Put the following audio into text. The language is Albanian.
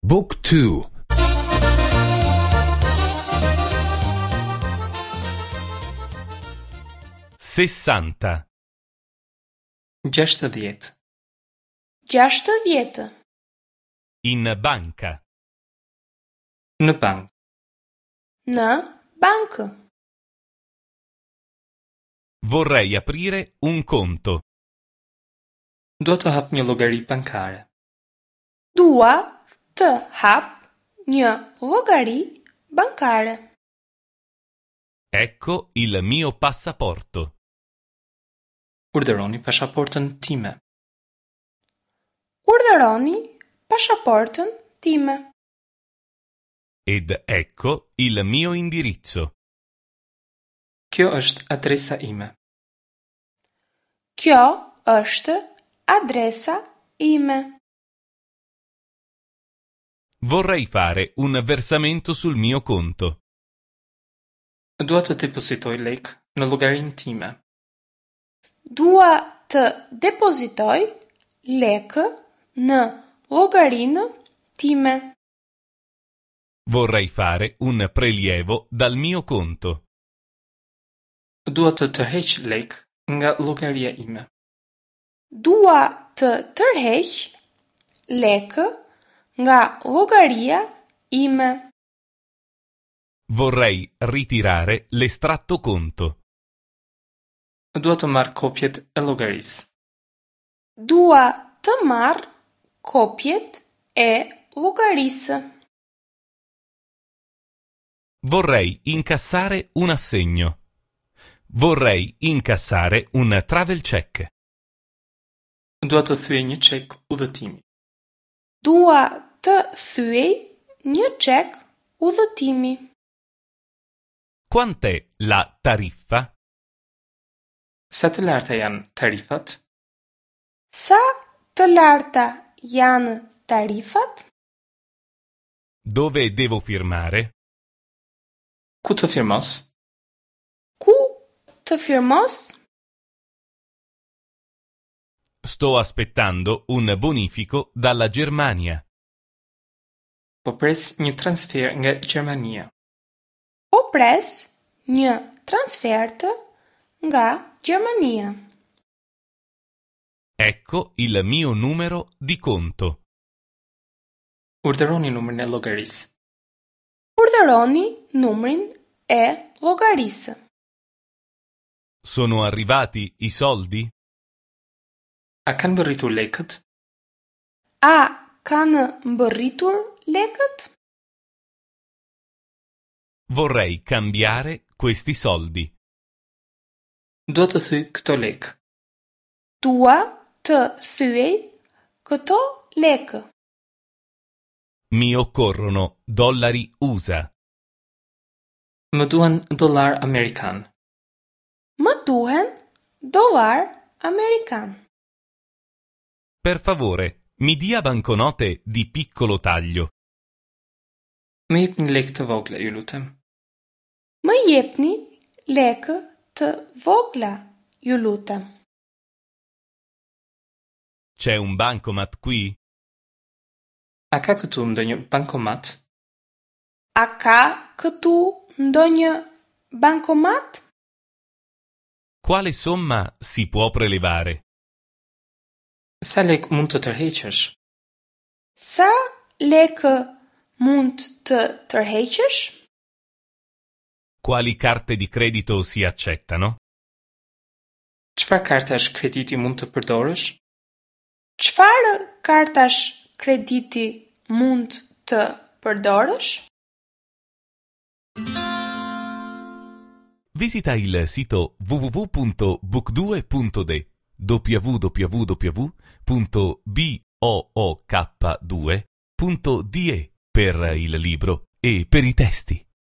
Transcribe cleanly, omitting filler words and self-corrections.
Book 2 60. 60. 60. In banca. Në bankë. Në bankë. Vorrei aprire un conto. Dua të hap një llogari bankare. Dua të hap një llogari bankare. Ecco il mio passaporto. Urdhëroni pasaportën time. Urdhëroni pasaportën time. Ed ecco il mio indirizzo. Kjo është adresa ime. Kjo është adresa ime. Vorrei fare un versamento sul mio conto. Dua të depozitoj lekë në llogarinë time. Dua të depozitoj lekë në llogarinë time. Vorrei fare un prelievo dal mio conto. Dua të tërheq lekë nga llogaria ime. Dua të tërheq lekë nga llogaria ime. Vorrei ritirare l'estratto conto. Dua të marr kopjet e llogarisë. Dua të marr kopjet e llogarisë. Vorrei incassare un assegno. Vorrei incassare un travel check. Dua të thyej një çek udhëtimi. Dua të thyej një çek udhëtimi. Quant'è la tariffa? Sa të larta janë tarifat? Sa të larta janë tarifat? Dove devo firmare? Ku të firmos? Ku të firmos? Sto aspettando un bonifico dalla Germania. Po pres një transfer nga Gjermania. Po pres një transfertë nga Gjermania. Ecco il mio numero di conto. Urdhëroni numrin e llogarisë. Urdhëroni numrin e llogarisë. Sono arrivati i soldi? A kanë mbërritur lekët? A kanë mbërritur lekët? Vorrei cambiare questi soldi. Dua të thyej këto lekë. Dua të thyej këto lekë. Mi occorrono dollari USA. Më duhen dollar amerikan. Më duhen dollar amerikan. Per favore, mi dia banconote di piccolo taglio. Më jepni lekë të vogla, ju lutem. Më jepni lekë të vogla, ju lutem. C'è un bancomat qui? A ka këtu ndonjë bankomat? A ka këtu ndonjë bankomat? Quale somma si può prelevare? Sa lekë mund të tërheqësh? Sa lekë mund të tërheqësh? Quali carte di credito si accettano? Çfarë kartash krediti mund të përdorësh? Çfarë kartash krediti mund të përdorësh? Visita il sito www.book2.de www.book2.de per il libro e per i testi.